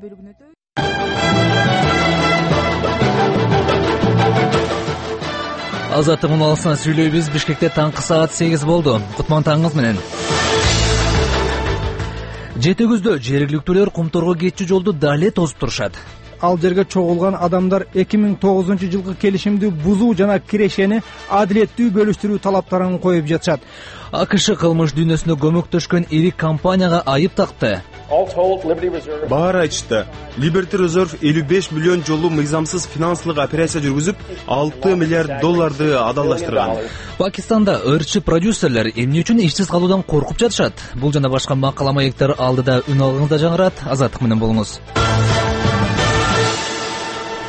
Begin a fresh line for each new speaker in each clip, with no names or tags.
бөлүгүнө өтөбүз.
Азаттык унаалысынан сүйлөйбүз. Бишкекте таңкы саат 8 болду. Кутман таңыңыз менен. Жети күздө жергиликтүүлөр Кумторго кетчү жолду дале тосуп турушат.
Ал жерге чогулган адамдар 2009-жылкы келишимди бузуу жана кирешени адилеттүү бөлүштүрүү талаптарын коюп жатышат.
АКШ кылмыш дүйнөсүндө көмөктөшкөн ири компанияга айып такты.
Баары айтышты. Liberty Reserve 55 миллион жолу мыйзамсыз финансылык операция жүргүзүп, $6 миллиард адалдаштырган.
Пакистанда ырчы продюсерлер эмне үчүн ишсиз калуудан коркуп жатышат? Бул жана башка макала маектер алдыда үн алгыңызда жаңырат. Азаттык менен болуңуз.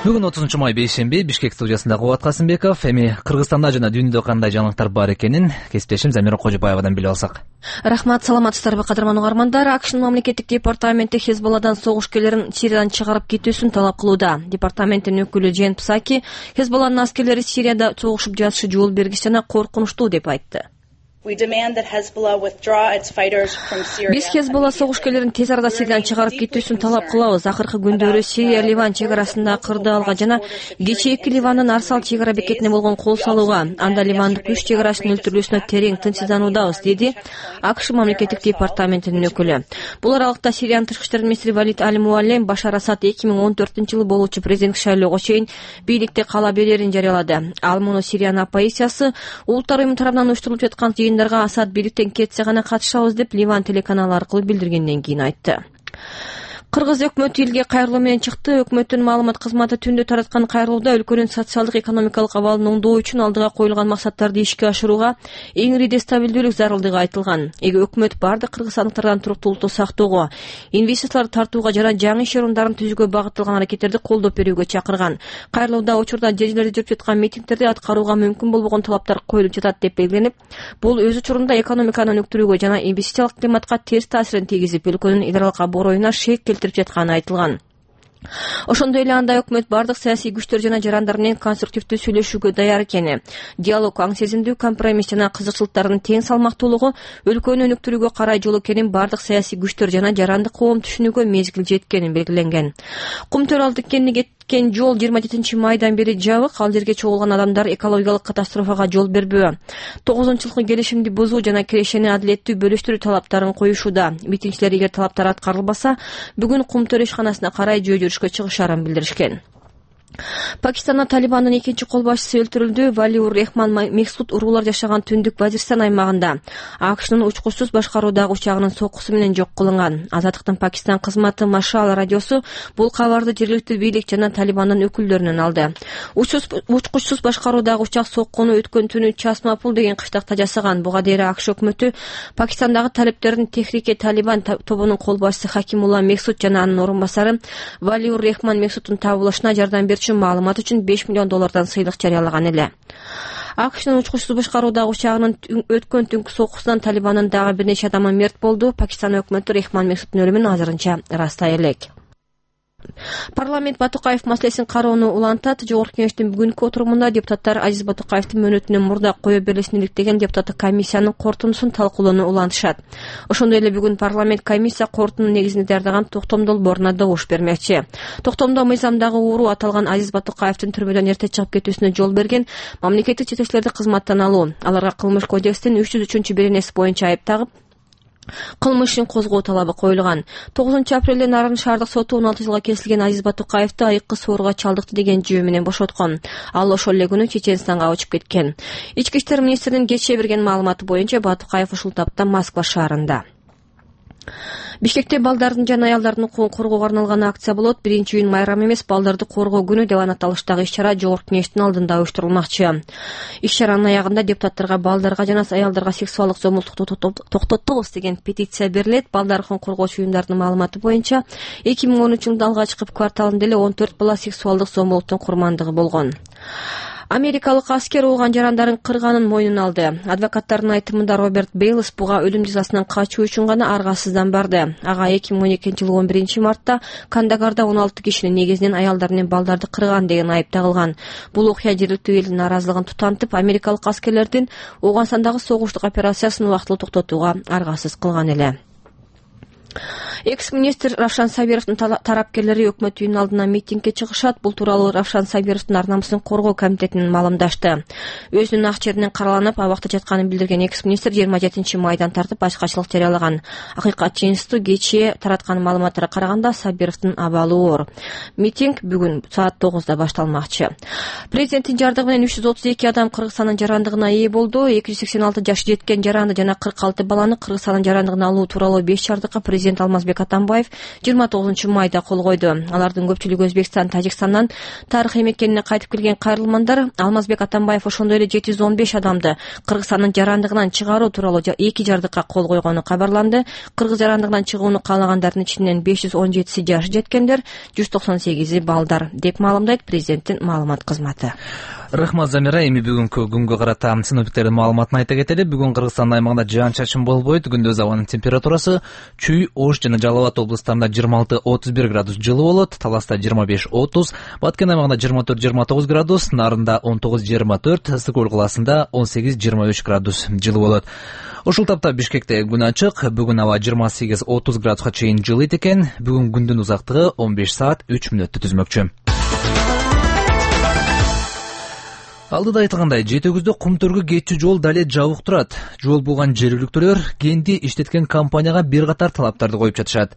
Бүгүн 30 май бейшемби. Бишкек студиясында Кубат Касымбеков. Эми Кыргызстанда жана дүйнөдө кандай жаңылыктар бар экенин кесиптешим Замира Кожобаевадан билип алсак.
Рахмат, саламатсыздарбы кадырман угармандар. АКШнын мамлекеттик департаменти Хезболладан согушкерлерин Сириядан чыгарып кетүүсүн талап кылууда. Департаменттин өкүлү Джен Псаки Хезболланын аскерлери Сирияда согушуп жатышы жол бергис жана коркунучтуу деп айтты. Биз Хезболла согушкерлерин тез арада Сириядан чыгарып кетүүсүн талап кылабыз. Акыркы күндөрү Сирия Ливан чек арасында кырдаалга жана кечээки Ливандын Арсал чек ара бекетине болгон кол салууга, анда ливандык күч чек арачынын өлтүрүлүүсүнө терең тынчсыздануудабыз, деди АКШ мамлекеттик департаментинин өкүлү. Бул аралыкта Сириянын тышкы иштер министри Валид Аль-Муаллем Башар Асад 2014-жылы болуучу президенттик шайлоого чейин бийликте кала берерин жарыялады. Ал муну Сириянын оппозициясы улуттар уюму тарабынан уюштурулуп жаткан жыйындарга Асад бийликтен кетсе гана катышабыз деп Ливан телеканалы аркылуу билдиргенден кийин айтты. Кыргыз өкмөтү элге кайрылуу менен чыкты. Өкмөттүн маалымат кызматы түндө тараткан кайрылууда өлкөнүн социалдык экономикалык абалын оңдоо үчүн алдыга коюлган максаттарды ишке ашырууга эң ири стабилдүүлүк зарылдыгы айтылган. Өкмөт бардык кыргызстандыктардан туруктуулукту сактоого, инвестицияларды тартууга жана жаңы иш орундарын түзүүгө багытталган аракеттерди колдоп берүүгө чакырган. Кайрылууда учурда жер жерлерде жүрүп жаткан митингтерди аткарууга мүмкүн болбогон талаптар коюлуп жатат деп белгиленип, бул өз учурунда экономиканы өнүктүрүүгө жана инвестициялык климатка терс таасирин тийгизип, өлкөнүн идаралык аброюна шек келтирип жатканы айтылган. Ошондой эле анда өкмөт бардык саясий күчтөр жана жарандар менен конструктивдүү сүйлөшүүгө даяр экени, диалог аң сезимдүү, компромисс жана кызыкчылыктардын тең салмактуулугу өлкөнү өнүктүрүүгө карай жол экенин бардык саясий күчтөр жана жарандык коом түшүнүүгө мезгил жеткенин белгиленген. Кумтөр ал тиккенди кеткен жол 27 майдан бери жабык. Ал жерге чогулган адамдар экологиялык катастрофага жол бербөө, 9-жылкы келишимди бузуу жана кирешени адилеттүү бөлүштүрүү талаптарын коюшууда. Митингчилер эгер талаптар аткарылбаса, бүгүн Кумтөр ишканасына карай жөө жүрүшкө чыгышарын билдиришкен. Пакистанда Талибандын экинчи кол башчысы өлтүрүлдү. Валиур Рехман Мексут уруулар жашаган түндүк Вазирстан аймагында АКШнын учкучсуз башкаруудагы учагынын соккусу менен жок кылынган. Азаттыктын Пакистан кызматы Машал радиосу бул кабарды жергиликтүү бийлик жана Талибандын өкүлдөрүнөн алды. Учкучсуз башкаруудагы учак соккуну өткөн түнү Часмапул деген кыштакта жасаган. Буга дейин АКШ өкмөтү Пакистандагы талиптердин Техрике Талибан тобунун кол башчысы Хакимулла Мексут жана анын орун басары Валиур Рехман Мексуттун табылышына жардам берүүчү маалымат үчүн $5 миллион сыйлык жарыялаган эле. АКШнын учкучсуз башкаруудагы учагынын өткөн түнкү соккусунан Талибандын дагы бир нече адамы мерт болду. Пакистан өкмөтү Рехман Мексуттун өлүмүн азырынча ырастай элек. Парламент Батукаев маселесин кароону улантат. Жогорку кеңештин бүгүнкү отурумунда депутаттар Азиз Батукаевдин мөөнөтүнөн мурда кое берилишин иликтеген депутаттык комиссиянын корутундусун талкуулоону улантышат. Ошондой эле бүгүн парламент комиссия корутуунун негизинде даярдаган токтом долбооруна добуш бермекчи. Токтомдо мыйзамдагы ууру аталган Азиз Батукаевдин түрмөдөн эрте чыгып кетүүсүнө жол берген мамлекеттик жетекчилерди кызматтан алуу, аларга кылмыш кодекстин 303 беренеси боюнча айып тагып, кылмыш ишин козгоо талабы коюлган. 9-апрелде Нарын шаардык соту 16 жылга кесилген Азиз Батукаевди айыккы сооруга чалдыкты деген жөө менен бошоткон. Ал ошол эле күнү Чеченстанга учуп кеткен. Ички иштер министринин кечээ берген маалыматы боюнча Батукаев ушул тапта Москва шаарында. Бишкекте балдардын жана аялдардын укугун коргоого арналган акция болот. 1-июнь майрам эмес, балдарды коргоо күнү деп аталыштагы иш-чара жогорку кеңештин алдында уюштурулмакчы. Иш-чаранын аягында депутаттарга балдарга жана аялдарга сексуалдык зомбулукту токтотобуз деген петиция берилет. Балдар укугун коргоочу уюмдардын маалыматы боюнча 2013-жылда алгачкы кварталында эле 14 бала сексуалдык зомбулуктун курмандыгы болгон. Америкалык аскер ууган жарандарын кырганын мойнуна алды. Адвокаттардын айтымында Роберт Бейлс буга өлүм жазасынан качуу үчүн гана аргасыздан барды. Ага 2012-жылы 11-мартта Кандагарда 16 кишинин негизинен аялдар менен балдарды кырган деген айып тагылган. Бул окуя жергиликтүү элдин нааразылыгын тутантып, америкалык аскерлердин Ооганстандагы согуштук операциясын убактылуу токтотууга аргасыз кылган эле. Экс-министр Равшан Сабировдун тарапкерлери өкмөт үйүнүн алдына митингге чыгышат. Бул тууралуу Равшан Сабировдун ар намысын коргоо комитетинин маалымдашты. Өзүнүн ак жеринен караланып, абакта жатканын билдирген экс-министр 27 майдан тартып башкачылык жарыялаган. Акыйкатчы институту кечээ тараткан маалыматтарга караганда Сабировдун абалы оор. Митинг бүгүн саат 9:00 башталмакчы. Президенттин жардыгы менен 332 адам Кыргызстандын жарандыгына ээ болду. 286 жашы жеткен жаранды жана 46 баланы Кыргызстандын жарандыгына алуу тууралуу 5 жардыкка президент Алмазбек Атамбаев 29 майда кол койду. Алардын көпчүлүгү Өзбекстан, Тажикстандан тарыхый мекенине кайтып келген кайрылмандар. Алмазбек Атамбаев ошондой эле 715 адамды Кыргызстандын жарандыгынан чыгаруу тууралуу 2 жардыкка кол койгону кабарланды. Кыргыз жарандыгынан чыгууну каалагандардын ичинен 517 жашы жеткендер, 198 балдар, деп маалымдайт президенттин маалымат кызматы.
Рахмат Замира, эми бүгүнкү күнгө карата синоптиктердин маалыматын айта кетели. Бүгүн Кыргызстан аймагында жаан-чачын болбойт. Күндүз абанын температурасы Чүй, Ош жана Жалал Абад облустарында 26-31 градус жылуу болот, Таласта 25-30, Баткен аймагында 24-29 градус, Нарында 19-24, Ысык Көл калаасында 18-23 градус жылуу болот. Ушул тапта Бишкекте күн ачык. Бүгүн аба 28-30 градуска чейин жылыйт экен. Бүгүн күндүн узактыгы 15 саат 3 мүнөттү түзмөкчү. Алдыда айтылгандай, Жети-Өгүздө Кумтөргү кетчү жол дале жабык турат. Жол булган жергиликтүүлөр кенди иштеткен компанияга бир катар талаптарды коюп жатышат.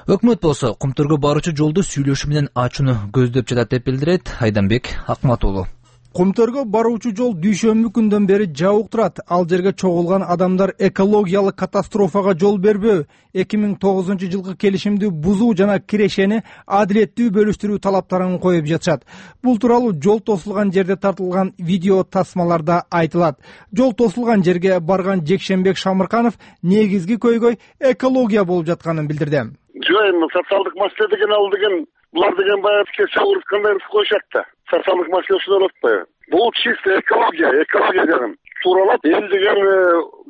Өкмөт болсо Кумтөргү баруучу жолду сүйлөшүү менен ачууну көздөп жатат деп билдирет Айданбек Акматуулу.
Кумтөргө баруучу жол дүйшөмбү күндөн бери жабык турат. Ал жерге чогулган адамдар экологиялык катастрофага жол бербөө, 2009 жылкы келишимди бузуу жана кирешени адилеттүү бөлүштүрүү талаптарын коюп жатышат. Бул тууралуу жол тосулган жерде тартылган видео тасмаларда айтылат. Жол тосулган жерге барган Жекшенбек Шамырканов негизги көйгөй экология болуп жатканын билдирди.
Жок, эми социалдык маселе деген ал деген булар деген баягы кандай коюшат да. Социалдык маселе ушул болот атпайбы? Бул чисто экология деген. Тууралап, эл деген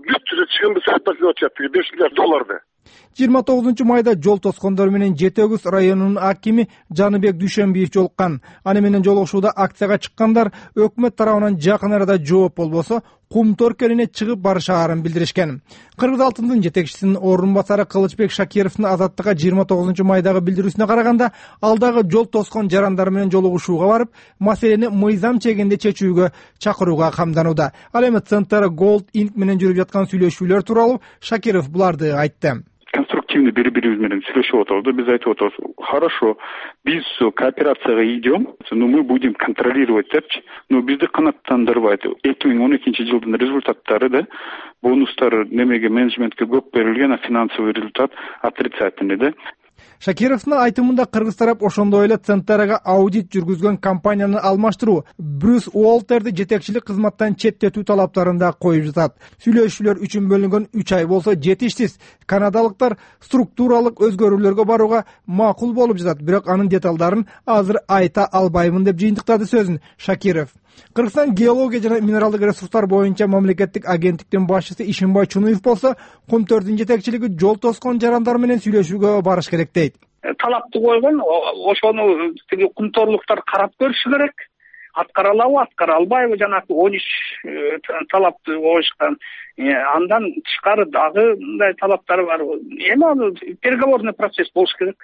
бүт чыгымды сатпак деп атышат, $5 миллиард.
29 майда жол тоскондор менен Жети-Өгүз районунун акими Жаныбек Дүйшөнбиев жолуккан. Аны менен жолугушууда акцияга чыккандар өкмөт тарабынан жакын арада жооп болбосо Кумтөр келине чыгып барышаарын билдиришкен. Кыргыз алтындын жетекчисинин орун басары Кылычбек Шакировдун Азаттыкка 29 майдагы билдирүүсүнө караганда, алдагы жол тоскон жарандар менен жолугушууга барып, маселени мыйзам чегинде чечүүгө чакырууга камданууда. Ал эми Центр Gold Inc менен жүрүп жаткан сүйлөшүүлөр тууралуу Шакиров буларды айтты.
Конструктивно бири-бирибиз менен сүйлөшүп отурбуз. Биз айтып отурбуз, хорошо, биз кооперацияга идем, но мы будем контролировать депчи. Но бизди канааттандырбайт. 2012 жылдын результаттары да, бонустар немеге менеджментке көп берилген, а финансовый результат отрицательный да.
Шакировдун айтымында кыргыз тарап ошондой эле Центрга аудит жүргүзгөн компанияны алмаштыруу, Брюс Уолтерди жетекчилик кызматтан четтетүү талаптарын да коюп жатат. Сүйлөшүүлөр үчүн бөлүнгөн 3 ай болсо жетиштис. Канадалыктар структуралык өзгөрүүлөргө барууга макул болуп жатат, бирок анын деталдарын азыр айта албаймын деп жыйынтыктады сөзүн Шакиров. Кыргызстан геология жана минералдык ресурстар боюнча мамлекеттик агенттиктин башчысы Ишимбай Чунуев болсо, Кумтөрдүн жетекчилиги жол тоскон жарандар менен сүйлөшүүгө барыш керек дейт.
Талапты койгон, ошону тиги кумтөрлуктар карап көрүшү керек. Аткара алабы, аткара албайбы, жанагы 13 талапты коюшкан. Андан тышкары дагы мындай талаптар бар. Эми аны переговорный процесс болуш керек.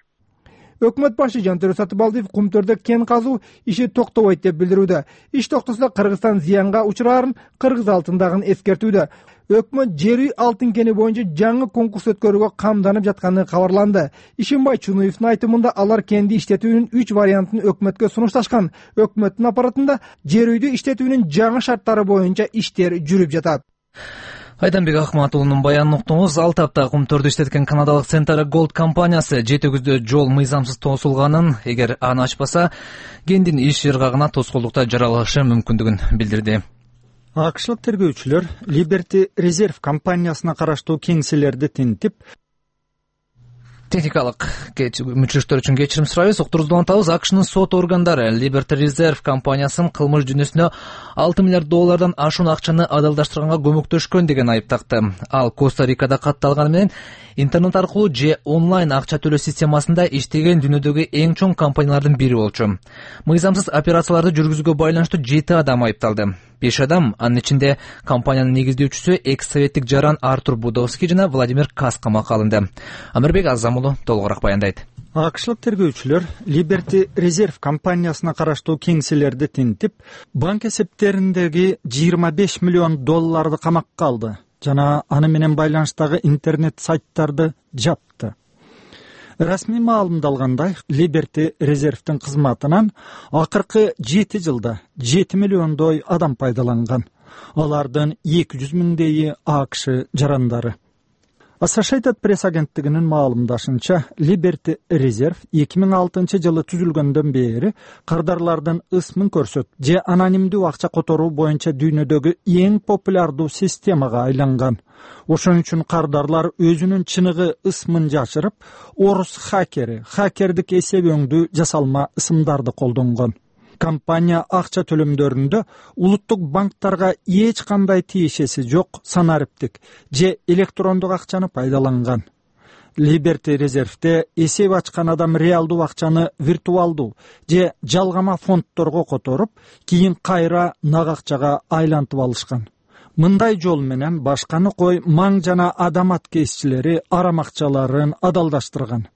Өкмөт башы Жантөрө Сатыбалдиев Кумтөрдө кен казуу иши токтобойт деп билдирүүдө. Иш токтосо Кыргызстан зыянга учурарын Кыргыз алтындагын эскертүүдө. Өкмөт жер үй алтын кени боюнча жаңы конкурс өткөрүүгө камданып жатканы кабарланды. Ишимбай Чунуевдун айтымында алар кенди иштетүүнүн 3 вариантын өкмөткө сунушташкан. Өкмөттүн аппаратында жер үйдү иштетүүнүн жаңы шарттары боюнча иштер жүрүп жатат.
Айданбек Акматуулунун баянын уктуңуз. Ал тапта Кумтөрдү иштеткен канадалык Центр Gold компаниясы Жети-Өгүздө жол мыйзамсыз тосулганын, эгер аны ачпаса, кендин иш ыргагына тоскоолдукта жаралышы мүмкүндүгүн билдирди.
АКШлык тергөөчүлөр Liberty Reserve компаниясына караштуу кеңселерди тинтип,
техникалык мүчүлүктөр үчүн кечирим сурайбыз. Уктурубузду улантабыз. АКШнын сот органдары Liberty Reserve компаниясын кылмыш жүйнөсүнө $6 миллиард ашуун акчаны адалдаштырганга көмөктөшкөн деген айып такты. Ал Коста-Рикада катталганы менен интернет аркылуу же онлайн акча төлөө системасында иштеген дүйнөдөгү эң чоң компаниялардын бири болчу. Мыйзамсыз операцияларды жүргүзүүгө байланыштуу 7 адам айыпталды. 5 адам, анын ичинде компаниянын негиздөөчүсү экс-советтик жаран Артур Будовский жана Владимир Кас камакка алынды. Амирбек Азам уулу толугураак баяндайт.
АКШлык тергөөчүлөр Liberty Reserve компаниясына караштуу кеңселерди тинтип, банк эсептериндеги 25 миллион долларды камакка алды жана аны менен байланыштагы интернет сайттарды жапты. Расмий маалымдалгандай, Liberty Reserve'тин кызматынан акыркы 7 жылда 7 миллиондой адам пайдаланган. Алардын 200 миңдейи АКШ жарандары. Associated Press агенттигинин маалымдашынча, Liberty Reserve 2006 жылы түзүлгөндөн бери кардарлардын ысмын көрсөт же анонимдүү акча которуу боюнча дүйнөдөгү эң популярдуу системага айланган. Ошон үчүн кардарлар өзүнүн чыныгы ысмын жашырып, орус хакердик эсеп өңдүү жасалма ысымдарды колдонгон. Компания акча төлөмдөрүндө улуттук банктарга эч кандай тиешеси жок санариптик же электрондук акчаны пайдаланган. Liberty Reserve'те эсеп ачкан адам реалдуу акчаны виртуалдуу же жалгама фондторго которуп, кийин кайра нак акчага айлантып алышкан. Мындай жол менен башканы кой маң жана адам аткезчилери арам акчаларын адалдаштырган.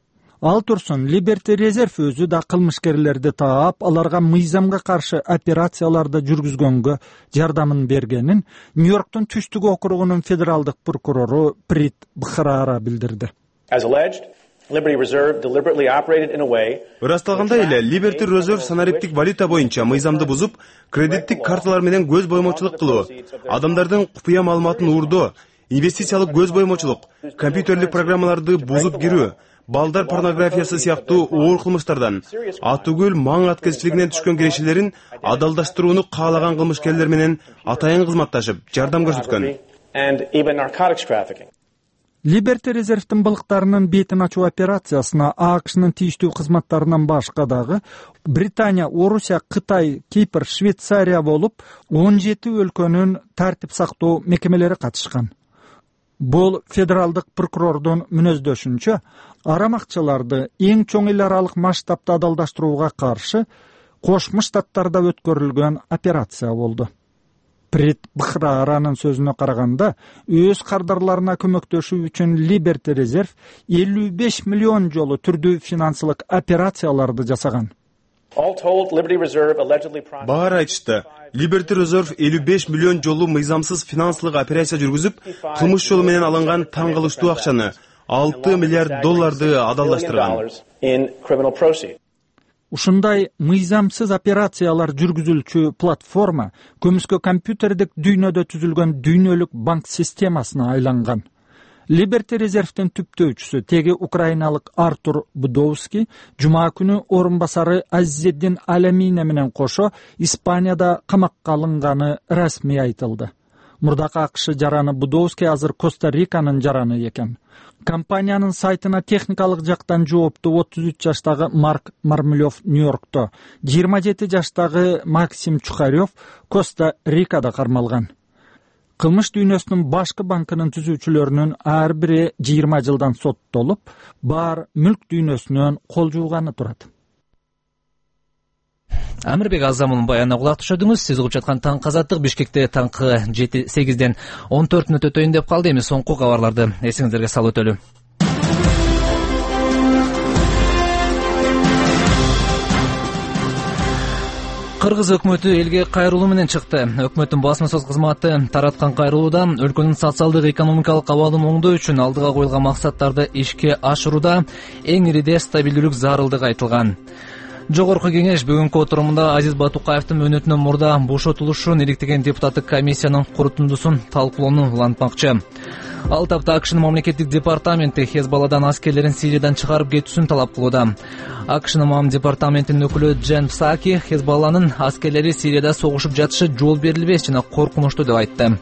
Ал турсун Liberty Reserve өзү да кылмышкерлерди таап, аларга мыйзамга каршы операцияларды жүргүзгөнгө жардамын бергенин Нью-Йорктун түштүк округунун федералдык прокурору Прит Бхрара билдирди.
Ырасталгандай эле Liberty Reserve санариптик валюта боюнча мыйзамды бузуп, кредиттик карталар менен көз боемочулук кылуу, адамдардын купуя маалыматын уурдоо, инвестициялык көз боемочулук, компьютерлик программаларды бузуп кирүү, балдар порнографиясы сыяктуу оор кылмыштардан, атүгүл маң аткезчилигинен түшкөн кирешелерин адалдаштырууну каалаган кылмышкерлер менен атайын кызматташып, жардам көрсөткөн.
Liberty Reserve'тин былыктарынын бетин ачуу операциясына АКШнын тийиштүү кызматтарынан башка дагы Британия, Орусия, Кытай, Кипр, Швейцария болуп 17 өлкөнүн тартип сактоо мекемелери катышкан. Бул федералдык прокурордун мүнөздөшүнчө, арам акчаларды эң чоң эл аралык масштабта адалдаштырууга каршы Кошмо Штаттарда өткөрүлгөн операция болду. Прит Бхраранын сөзүнө караганда, өз кардарларына көмөктөшүү үчүн Liberty Reserve 55 миллион жолу түрдүү финансылык операцияларды жасаган.
Баары айтышты, Liberty Reserve 55 миллион жолу мыйзамсыз финансылык операция жүргүзүп, кылмыш жолу менен алынган таң калыштуу акчаны 6 миллиард долларды адалдаштырган.
Ушундай мыйзамсыз операциялар жүргүзүлчү платформа көмүскө компьютердик дүйнөдө түзүлгөн дүйнөлүк банк системасына айланган. Liberty Reserve'тин түптөөчүсү теги украиналык Артур Будовский жума күнү орун басары Азизеддин Аламине менен кошо Испанияда камакка алынганы расмий айтылды. Мурдакы АКШ жараны Будовский азыр Коста-Риканын жараны экен. Компаниянын сайтына техникалык жактан жооптуу 33 жаштагы Марк Мармелев Нью-Йоркто, 27 жаштагы Максим Чухарев Коста-Рикада кармалган. Кылмыш дүйнөсүнүн башкы банкынын түзүүчүлөрүнүн ар бири 20 жылдан соттолуп, бар мүлк дүйнөсүнөн кол жууганы турат.
Амирбек Азамунун баянына кулак түшөдүңүз. Сиз угуп жаткан Таңкы Азаттык Бишкекте таңкы 7-8ден 14 мүнөт өтөйүн деп калды. Эми соңку кабарларды эсиңиздерге салып өтөлү. Кыргыз өкмөтү элге кайрылуу менен чыкты. Өкмөттүн басма-сөз кызматы тараткан кайрылууда өлкөнүн социалдык экономикалык абалын оңдоо үчүн алдыга коюлган максаттарды ишке ашырууда эң ириде стабилдүүлүк зарылдыгы айтылган. Жогорку кеңеш бүгүнкү отурумунда Азиз Батукаевдин мөөнөтүнөн мурда бошотулушун иликтеген депутаттык комиссиянын корутундусун талкуулоону улантмакчы. Ал тапта АКШнын мамлекеттик департаменти Хезболладан аскерлерин Сириядан чыгарып кетүүсүн талап кылууда. АКШнын мам департаментинин өкүлү Джен Псаки Хезболланын аскерлери Сирияда согушуп жатышы жол берилбес жана коркунучтуу деп айтты.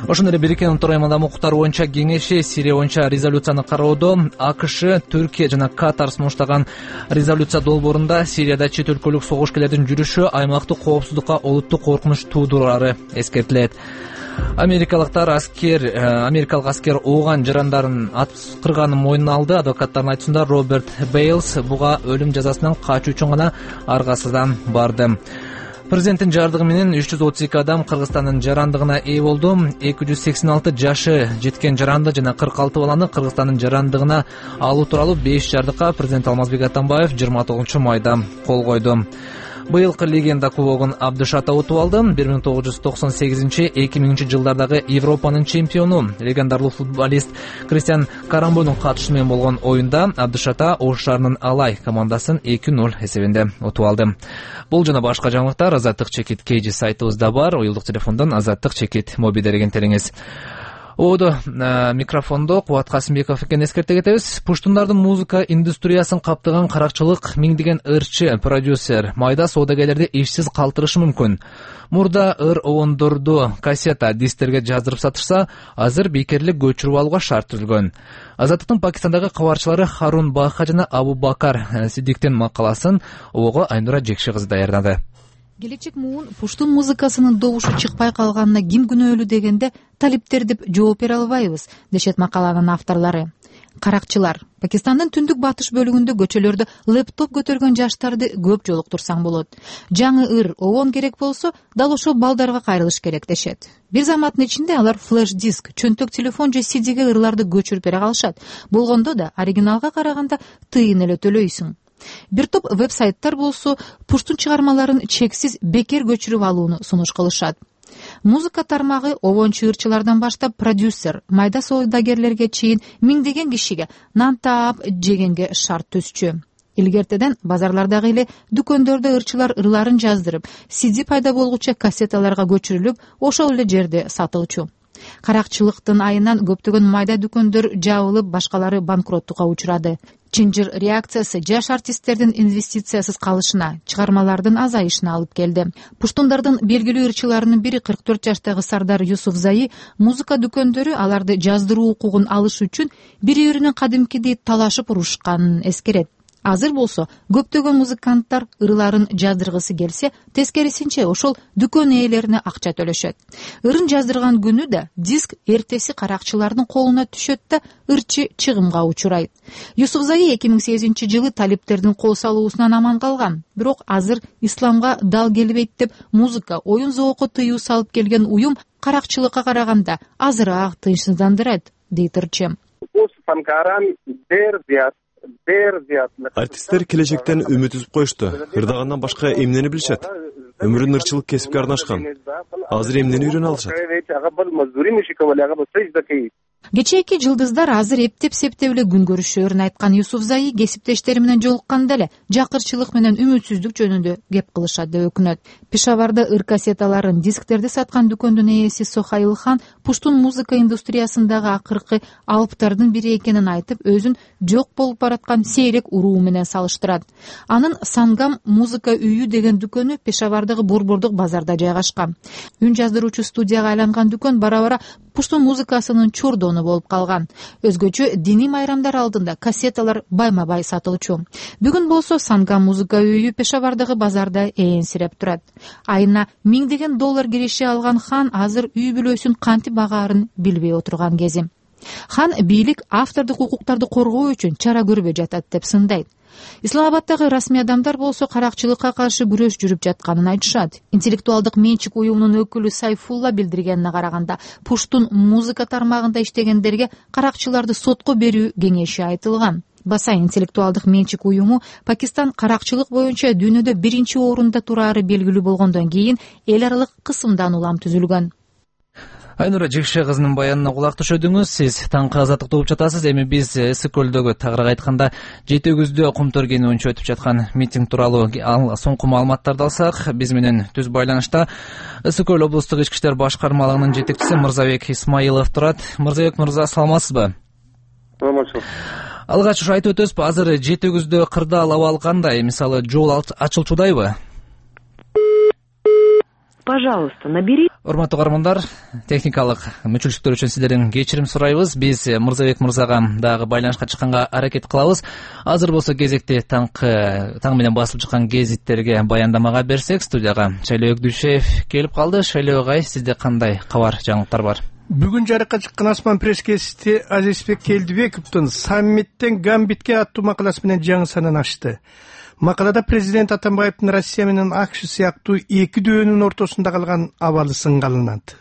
Ошондой эле Бириккен Улуттар Уюмунда укуктар боюнча кеңеши Сирия боюнча резолюцияны кароодо АКШ, Түркия жана Катар сунуштаган резолюция долбоорунда Сирияда чет өлкөлүк согушкерлердин жүрүшү аймактык коопсуздукка олуттук коркунуч туудурары эскертилет. Америкалык аскер ооган жарандарын аткырганын мойнуна алды. Адвокаттардын айтуусунда Роберт Бейлс буга өлүм жазасынан качуу үчүн гана аргасыздан барды. Президенттин жардыгы менен 332 адам Кыргызстандын жарандыгына ээ болду. 286 жашы жеткен жаранды жана 46 баланы Кыргызстандын жарандыгына алуу тууралуу 5 жардыкка президент Алмазбек Атамбаев 29 майда кол койду. Быйылкы легенда кубогун Абдышата утуп алды. 1998-2000 жылдардагы Европанын чемпиону, легендарлуу футболист Кристиан Карамбонун катышы менен болгон оюнда Абдышата Ош шаарынын Алай командасын 2-0 эсебинде утуп алды. Бул жана башка жаңылыктар Азаттык чекит KG сайтыбызда бар. Уюлдук телефондон Азаттык чекит моби дерегентериңиз. Микрофондо Кубат Касымбеков экенин эскерте кетебиз. Пуштундардын музыка индустриясын каптаган каракчылык миңдеген ырчы, продюсер, майда соодагерлерди ишсиз калтырышы мүмкүн. Мурда ыр обондорду кассета, дистерге жаздырып сатышса, азыр бейкерлик көчүрүп алууга шарт түзүлгөн. Азаттыктын Пакистандагы кабарчылары Харун Баха жана Абу Бакар Сидиктин макаласын Ого Айнура Жекши кызы даярдады.
Келечек муун пуштун музыкасынын добушу чыкпай калганына ким күнөөлүү дегенде талиптер деп жооп бере албайбыз, дешет макаланын авторлору. Каракчылар Пакистандын түндүк батыш бөлүгүндө көчөлөрдө лэптоп көтөргөн жаштарды көп жолуктурсаң болот. Жаңы ыр обон керек болсо, дал ошол балдарга кайрылыш керек дешет. Бир заматтын ичинде алар флеш-диск, чөнтөк телефон же CD-ге ырларды көчүрүп бере калышат. Болгондо да оригиналга караганда тыйын эле төлөйсүң. Бир топ веб-сайттар болсо пуштун чыгармаларын чексиз бекер көчүрүп алууну сунуш кылышат. Музыка тармагы обончу ырчылардан баштап продюсер, майда соодагерлерге чейин миңдеген кишиге нан таап жегенге шарт түзчү. Илгертеден базарлардагы эле дүкөндөрдө ырчылар ырларын жаздырып, CD пайда болгучу кассеталарга көчүрүлүп, ошол эле жерде сатылчу. Каракчылыктын айынан көптөгөн майда дүкөндөр жабылып, башкалары банкроттукка учурады. Чынжыр реакциясы жаш артисттердин инвестициясыз калышына, чыгармалардын азайышына алып келди. Пуштундардын белгилүү ырчыларынын бири 44 жаштагы Сардар Юсуфзай музыка дүкөндөрү аларды жаздыруу укугун алыш үчүн бири-биринен кадимкидей талашып урушканын эскерет. Азыр болсо көптөгөн музыканттар ырларын жаздыргысы келсе, тескерисинче ошол дүкөн ээлерине акча төлөшөт. Ырын жаздырган күнү да диск эртеси каракчылардын колуна түшөт да ырчы чыгымга учурайт. Юсуфзай 2008 жылы талиптердин кол салуусунан аман калган. Бирок азыр исламга дал келбейт деп музыка, оюн зоокко тыюу салып келген уюм каракчылыкка караганда азыраак тынчсыздандырат, дейт ырчы.
Артисттер келечектен үмүт үзүп коюшту. Ырдагандан башка эмнени билишет? Өмүрүн ырчылык кесипке арнашкан. Азыр эмнени үйрөнө алышат?
Кечээки жылдыздар азыр эптеп-септеп эле күн көрүшөөрүн айткан Юсуфзай кесиптештери менен жолукканда эле жакырчылык менен үмүтсүздүк жөнүндө кеп кылышат деп өкүнөт. Пешаварда ыр кассеталарын, дисктерди саткан дүкөндүн ээси Сохаил хан пуштун музыка индустриясындагы акыркы алыптардын бири экенин айтып, өзүн жок болуп бараткан сейрек уруу менен салыштырат. Анын Сангам музыка үйү деген дүкөнү Пешавардагы борбордук базарда жайгашкан. Үн жаздыруучу студияга айланган дүкөн бара-бара пуштун музыкасынын чордону болуп калган. Өзгөчө диний майрамдар алдында кассеталар байма-бай сатылчу. Бүгүн болсо Сангам музыка үйү Пешавардагы базарда ээрсиреп турат. Айына $1000 киреше алган хан азыр үй бүлөсүн кантип багаарын билбей отурган кези. Хан бийлик автордук укуктарды коргоо үчүн чара көрбөй жатат деп сындайт. Исламабадтагы расмий адамдар болсо каракчылыкка каршы күрөш жүрүп жатканын айтышат. Интеллектуалдык менчик уюмунун өкүлү Сайфулла билдиргенине караганда, пуштун музыка тармагында иштегендерге каракчыларды сотко берүү кеңеши айтылган. Басай интеллектуалдык менчик уюму Пакистан каракчылык боюнча дүйнөдө 1-орунда турары белгилүү болгондон кийин эл аралык кысымдан улам түзүлгөн.
Айнура Жекши кызынын баянына кулак түшөдүңүз. Сиз таңкы азаттыкты угуп жатасыз. Эми биз Ысык көлдөгү, тагыраак айтканда Жети өгүздө Кумтөр кени боюнча өтүп жаткан митинг тууралуу соңку маалыматтарды алсак, биз менен түз байланышта Ысык көл облустук ички иштер башкармалыгынын жетекчиси Мырзабек Исмаилов турат. Мырзабек мырза, саламатсызбы?
Саламатчылык.
Алгач ушу айтып өтөбүзбү, азыр Жети өгүздө кырдаал абал кандай? Мисалы, жол ачылчудайбы?
Пожалуйста, набери.
Урматтуу каармандар, техникалык мүчүлчүктөр үчүн сиздерден кечирим сурайбыз. Биз Мырзабек мырзага дагы байланышка чыкканга аракет кылабыз. Азыр болсо кезекти таң менен басылып чыккан гезиттерге баяндамага берсек, студияга Шайлоо Дүйшеев келип калды. Шайлоо агай, сизде кандай кабар, жаңылыктар бар?
Бүгүн жарыкка чыккан Асман пресс-гезити Азизбек Келдибековдун саммиттен Гамбитке аттуу макаласы менен жаңы санын ачты. Макалада президент Атамбаевдин Россия менен АКШ сыяктуу эки дөөнүн ортосунда калган абалы сынгалынат.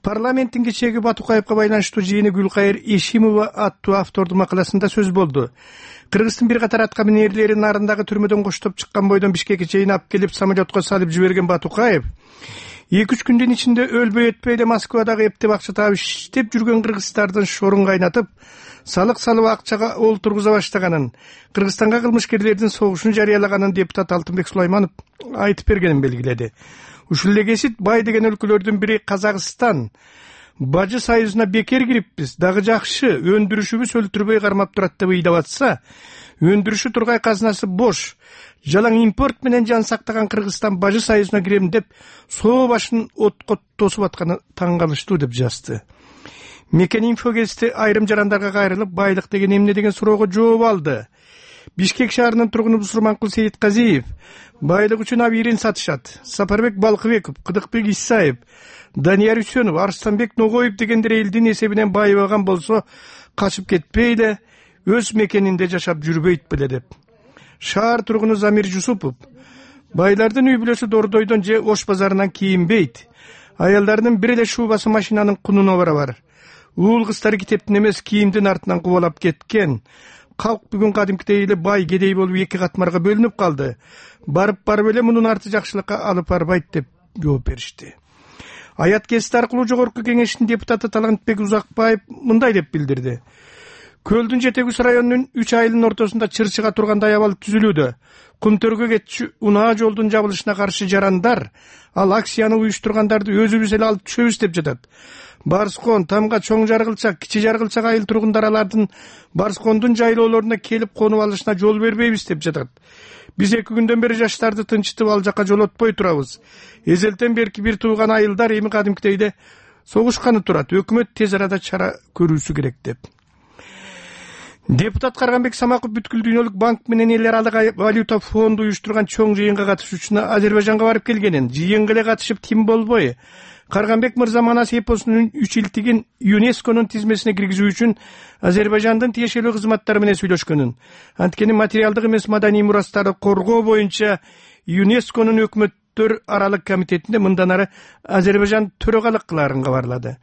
Парламенттин кечээги Батукаевга байланыштуу жыйыны Гүлкайыр Эшимова аттуу автордун макаласында сөз болду. Кыргыздын бир катар атка минерлери нарындагы түрмөдөн коштоп чыккан бойдон Бишкекке чейин алып келип самолетко салып жиберген Батукаев 2-3 күндүн ичинде өлбөй өтпөй эле Москвадагы эптеп акча таап иштеп жүргөн кыргыздардын шорун кайнатып, салык салып акчага олтургуза баштаганын, Кыргызстанга кылмышкерлердин согушун жарыялаганын депутат Алтынбек Сулайманов айтып бергенин белгиледи. Ушул эле кесип бай деген өлкөлөрдүн бири Казакстан Бажы союзуна бекер кириппиз, дагы жакшы, өндүрүшүбүз өлтүрбөй кармап турат деп ыйдап атса, өндүрүшү тургай казынасы бош, жалаң импорт менен жан сактаган Кыргызстан Бажы союзуна кирем деп соо башын отко тосуп атканы таң калыштуу деп жазды. Мекен инфо гезити айрым жарандарга кайрылып, байлык деген эмне деген суроого жооп алды. Бишкек шаарынын тургуну Бусурманкул Сейитказиев байлык үчүн абийирин сатышат. Сапарбек Балкыбеков, Кыдыкбек Исаев, Данияр Үсөнов, Арстанбек Ногоев дегендер элдин эсебинен байыбаган болсо, качып кетпей эле өз мекенинде жашап жүрбөйт беле деп. Шаар тургуну Замир Жусупов байлардын үй бүлөсү Дордойдон же Ош базарынан кийинбейт. Аялдарынын бир эле шубасы машинанын кунуна барабар. Уул кыздары китептин эмес кийимдин артынан кубалап кеткен. Калк бүгүн кадимкидей эле бай кедей болуп эки катмарга бөлүнүп калды. Барып эле мунун арты жакшылыкка алып барбайт деп жооп беришти. Аят гезити аркылуу жогорку кеңештин депутаты Талантбек Узакбаев мындай деп билдирди. Көлдүн Жетегүс районунун 3 айылынын ортосунда чырчыга тургандай абал түзүлүүдө. Кумтөргө кетчү унаа жолдун жабылышына каршы жарандар ал акцияны уюштургандарды өзүбүз эле алып түшөбүз деп жатат. Барскон, Тамга, Чоң Жаргылчак, Кичи Жаргылчак айыл тургундар алардын Барскондун жайлоолоруна келип конуп алышына жол бербейбиз деп жатат. Биз 2 күндөн бери жаштарды тынчытып ал жака жолотпой турабыз. Эзелтен берки бир тууган айылдар эми кадимкидей эле согушканы турат. Өкмөт тез арада чара көрүүсү керек деп. Депутат Карганбек Самаков бүткүл дүйнөлүк банк менен эл аралык валюта фонду уюштурган чоң жыйынга катышуучуна Азербайжанга барып келгенин, жыйынга эле катышып тим болбой, Карганбек мырза Манас эпосунун 3 илтигин ЮНЕСКОнун тизмесине киргизүү үчүн Азербайжандын тиешелүү кызматтары менен сүйлөшкөнүн, анткени материалдык эмес маданий мурастарды коргоо боюнча ЮНЕСКОнун өкмөттөр аралык комитетинде мындан ары Азербайжан төрагалык кылаарын кабарлады.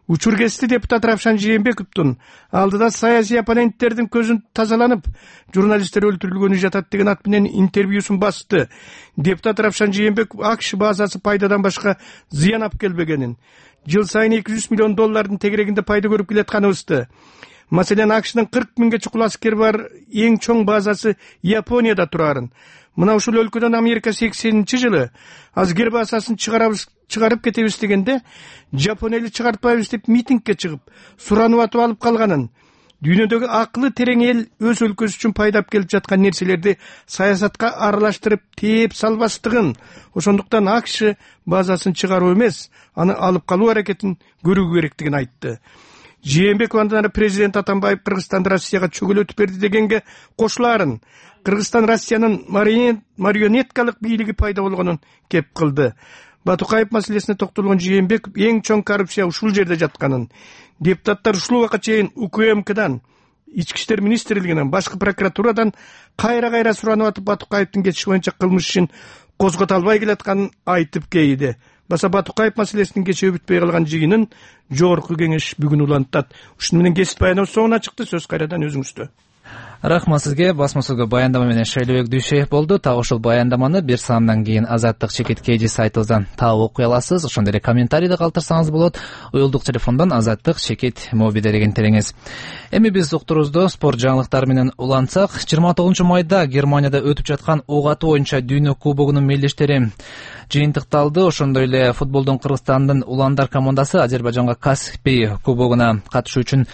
Учур гезити депутат Равшан Жээнбековдун алдыда саясий оппоненттердин көзүн тазаланып, журналисттер өлтүрүлгөнү жатат деген ат менен интервьюсун басты. Депутат Равшан Жээнбеков АКШ базасы пайдадан башка зыян алып келбегенин, жыл сайын $200 миллион тегерегинде пайда көрүп келатканыбызды. Маселен, АКШдын 40 миңге чукул аскер бар эң чоң базасы Японияда турарын. Мына ушул өлкөдөн Америка 80-жылы аскер базасын чыгарып кетебиз дегенде, Жапон эли чыгартпайбыз деп митингге чыгып, суранып атып алып калганын, дүйнөдөгү акылы терең эл өз өлкөсү үчүн пайдап келип жаткан нерселерди саясатка аралаштырып тээп салбастыгын, ошондуктан АКШ базасын чыгаруу эмес, аны алып калуу аракетин көрүү керектигин айтты. Жээнбеков андан ары президент Атамбаев Кыргызстанды Россияга чөгөлөтүп берди дегенге кошулаарын, Кыргызстан Россиянын марионеткалык бийлиги пайда болгонун кеп кылды. Батукаев маселесине токтолгон Жээнбеков эң чоң коррупция ушул жерде жатканын, депутаттар ушул убакка чейин УКМКдан, Ички иштер министрлигинен, башкы прокуратурадан кайра суранып атып Батукаевдин кетиши боюнча кылмыш ишин козгото албай келатканын айтып кейиди. Баса Батукаев маселесинин кечээ бүтпөй калган жыйынын жогорку кеңеш бүгүн улантат. Ушуну менен кесип баяныбыз соңуна чыкты. Сөз кайрадан өзүңүздө.
Рахмат сизге. Басма сөзгө баяндама менен Шайлебек Дүйшеев болду. Так ушул баяндаманы бир саамдан кийин Азаттык чекит KG сайтыбыздан таап окуй аласыз. Ошондой эле комментарийди калтырсаңыз болот. Уюлдук телефондон Азаттык чекит мобилде деген тереңиз. Эми биз уктурубузду спорт жаңылыктары менен улантсак, 29 майда Германияда өтүп жаткан ок атуу боюнча дүйнө кубогунун мелдештери жыйынтыкталды. Ошондой эле футболдон Кыргызстандын уландар командасы Азербайжанга Каспий кубогуна катышуу үчүн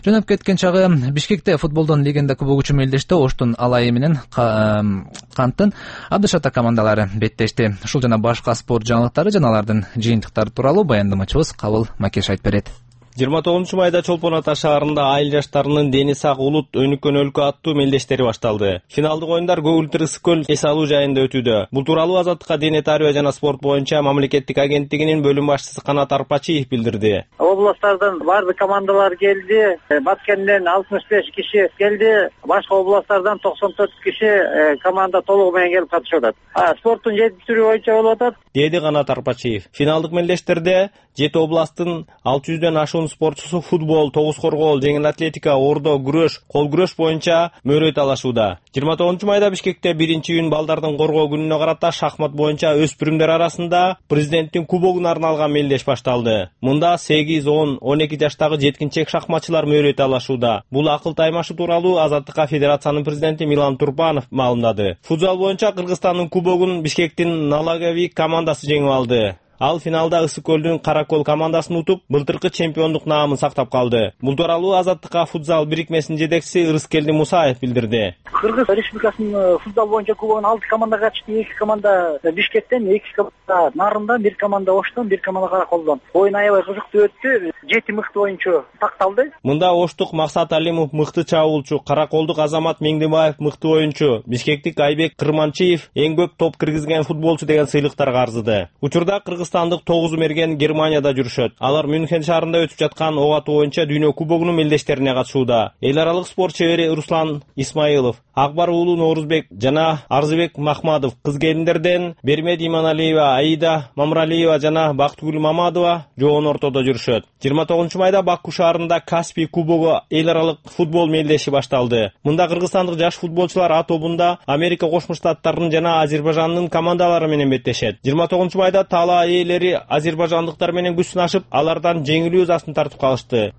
жөнөп кеткен чагы Бишкекте футболдон легенда кубогу мелдеште Оштун Алайы менен Канттын Абдышата командалары беттешти. Ушул жана башка спорт жаңылыктары жана алардын жыйынтыктары тууралуу баяндамачыбыз Кабыл Макеш айтып берет.
29-майда Чолпон Ата шаарында айыл жаштарынын дени сак улут өнүккөн өлкө аттуу мелдештери башталды. Финалдык оюндар көгүлтүр Ысык-Көл эс алуу жайында өтүүдө. Бул тууралуу Азаттыкка дене тарбия жана спорт боюнча мамлекеттик агенттигинин бөлүм башчысы Канат Арпачиев билдирди.
Областтардан баардык командалар келди. Баткенден 65 киши келди. Башка областтардан 94 киши команда толугу менен келип катышып атат. Спорттун 7 түрү боюнча болуп атат,
деди Канат Арпачиев. Финалдык мелдештерде 7 областтын 600дөн ашуун спортчусу футбол, тогуз коргоол, жеңил атлетика, ордо, күрөш, кол күрөш боюнча мөрөйт алышууда. 29-майда Бишкекте 1-июнь балдардын коргоо күнүнө карата шахмат боюнча өспүрүмдөр арасында президенттин кубогуна арналган мелдеш башталды. Мында 8, 10, 12 жаштагы жеткинчек шахматчылар мөрөйт алышууда. Бул акыл таймашы тууралуу Азаттыкка федерациянын президенти Милан Турпанов маалымдады. Футзал боюнча Кыргызстандын кубогун Бишкектин Налаговик командасы жеңип алды. Ал финалда Ысык-Көлдүн Каракол командасын утуп, былтыркы чемпиондук наамын сактап калды. Бул тууралуу Азаттыкка футзал бирикмесинин жетекчиси Ырыскелди Мусаев билдирди.
Кыргыз Республикасынын футзал боюнча кубогуна 6 команда катышты. 2 команда Бишкектен, 2 команда Нарындан, 1 команда Оштон, 1 команда Караколдон. Оюн аябай кызыктуу өттү. 7 мыкты оюнчу такталды.
Мында Оштук Максат Алимов мыкты чабуулчу, Караколдук Азамат Меңдебаев мыкты оюнчу, Бишкектик Айбек Кырманчиев эң көп топ киргизген футболчу деген сыйлыктарга арзыды. Учурда Кыргызстандык 9 мерген Германияда жүрүшөт. Алар Мюнхен шаарында өтүп жаткан ок атуу боюнча дүйнө кубогунун мелдештерине катышууда. Эл аралык спорт чебери Руслан Исмаилов, Акбар уулу Норузбек жана Арзыбек Махмадов, кыз келиндерден Бермед Иманалиева, Аида Мамралиева жана Бактыгүл Мамадова жоон ортодо жүрүшөт. 29-майда Баку шаарында Каспий кубогу эл аралык футбол мелдеши башталды. Мында кыргызстандык жаш футболчулар А тобунда Америка Кошмо Штаттарынын жана Азербайжандын командалары менен беттешет. 29-майда Тала ээлери азербайжандыктар менен күч сынашып, алардан жеңилүү ызасын тартып калышты.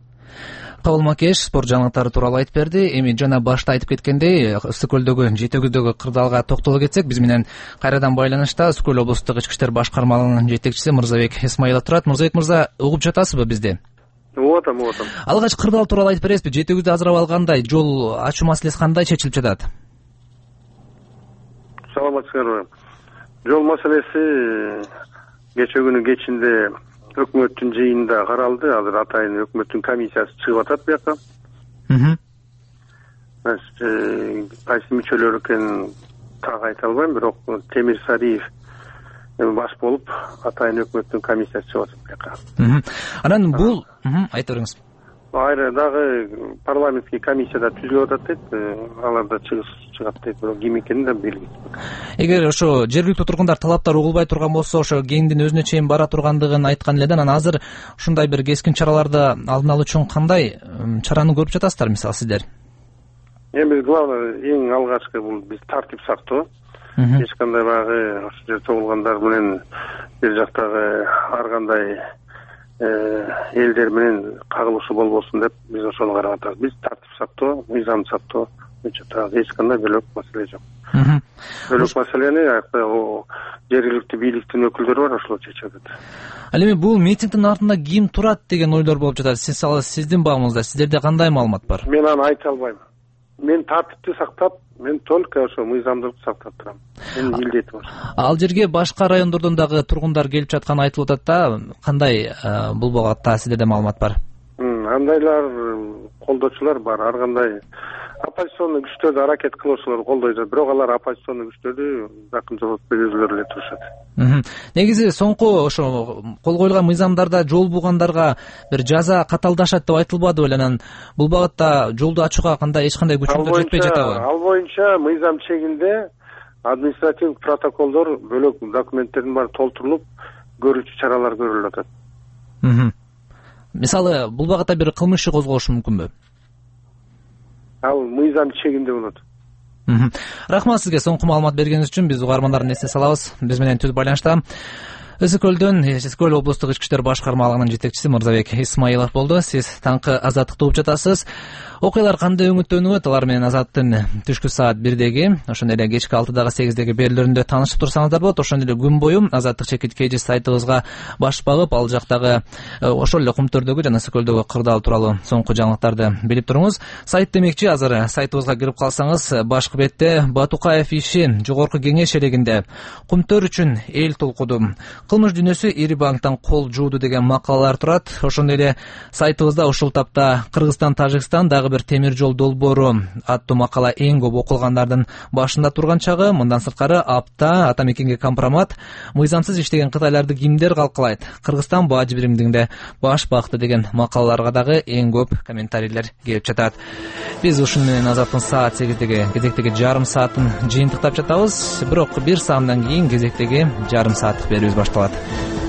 Кабыл Макеш спорт жаңылыктары тууралуу айтып берди. Эми жана башта айтып кеткендей, Ысык-Көлдөгү жетегүздөгү кырдаалга токтоло кетсек, биз менен кайрадан байланышта Ысык-Көл облустук ички иштер башкармалыгынын жетекчиси Мырзабек Исмаилов турат. Мырзабек мырза, угуп жатасызбы бизди?
Угуп атам.
Алгач кырдаал тууралуу айтып бересизби? Жетегүздү азырап алгандай, жол ачуу маселеси кандай чечилип жатат?
Саламатсыздарбы. Жол маселеси кече күнү кечинде өкмөттүн жыйынында каралды. Азыр атайын өкмөттүн комиссиясы чыгып атат бияка. Кайсы мүчөлөр экенин так айта албайм, бирок Темир Сариев баш болуп атайын өкмөттүн комиссиясы чыгып атат бияка.
Анан бул айта бериңиз.
Айры дагы парламенттик комиссияда түзүлүп атат дейт. Алар да чыгат дейт, бирок ким экени да белгисиз.
Эгер ошо жергиликтүү тургундар талаптар угулбай турган болсо, ошо кеңдин өзүнө чейин бара тургандыгын айткан эле да, анан азыр ушундай бир кескин чараларды алдын алуу үчүн кандай чараны көрүп жатасыздар, мисалы сиздер?
Эми главный эң алгачкы бул биз тартип сактоо. Эч кандай баягы ошол жерде чогулгандар менен бир жактагы ар кандай элдер менен кагылышуу болбосун деп биз ошону карап атабыз. Биз тартип сактоо, мыйзамды сактоо боюнча эч кандай бөлөк маселе жок. Бөлөк маселени жергиликтүү бийликтин өкүлдөрү бар, ошолор чечип атат.
Ал эми бул митингдин артында ким турат деген ойлор болуп жатат. Сиздин багыңызда, сиздерде кандай маалымат бар?
Мен аны айта албайм. Мен тартипти сактап, мен только ошо мыйзамдыкты сактап турам. Менин милдетим ошо.
Ал жерге башка райондордон дагы тургундар келип жатканы айтылып атат да. Кандай бул багытта сиздерде маалымат бар?
Андайлар колдоочулар бар, ар кандай оппозиционный күчтөрдү аракет кылуучулар колдой жатат, бирок алар оппозиционный күчтөрдү жакын жоготпой өзүлөрү эле турушат.
Негизи соңку ошо кол коюлган мыйзамдарда жол бугандарга бир жаза каталдашат деп айтылбады беле? Анан бул багытта жолду ачууга кандай эч кандай күчүңөр жетпей жатабы?
Ал боюнча мыйзам чегинде административдик протоколдор, бөлөк документтердин баары толтурулуп, көрүүчү чаралар көрүлүп атат.
Мисалы, бул багытта бир кылмыш иши козголушу мүмкүнбү?
Ал мыйзам чегинде болот.
Рахмат сизге соңку маалымат бергениңиз үчүн. Биз угармандардын эсине салабыз. Биз менен түз байланышта Ысык-Көлдөн Ысык-Көл облустук ички иштер башкармалыгынын жетекчиси Мырзабек Исмаилов болду. Сиз таңкы Азаттыкты угуп жатасыз. Окуялар кандай өңүттөнүп, алар менен Азаттын түшкү саат 1-деги, ошондой эле кечки 6-дагы 8-деги берүүлөрүндө таанышып турсаңыздар болот. Ошондой эле күн бою Азаттык чекит KG сайтыбызга баш багып, ал жактагы ошол эле Кумтөрдөгү жана Ысык-Көлдөгү кырдаал тууралуу соңку жаңылыктарды билип туруңуз. Сайт демекчи, азыр сайтыбызга кирип калсаңыз, башкы бетте Батукаев иши жогорку кеңеш элегинде Кумтөр үчүн эл толкуду кылмыш дүйнөсү ири банктан кол жууду деген макалалар турат. Ошондой эле сайтыбызда ушул тапта Кыргызстан Тажикстан дагы бир темир жол долбоору аттуу макала эң көп окулгандардын башында турган чагы. Мындан сырткары апта, ата мекенге компромат, мыйзамсыз иштеген кытайларды кимдер калкалайт, Кыргызстан бажы биримдигинде баш бакты деген макалаларга дагы эң көп комментарийлер келип жатат. Биз ушуну менен Азаттын саат 8-деги кезектеги жарым саатын жыйынтыктап жатабыз. Бирок бир саамдан кийин кезектеги жарым сааттык берүүбүз башталат.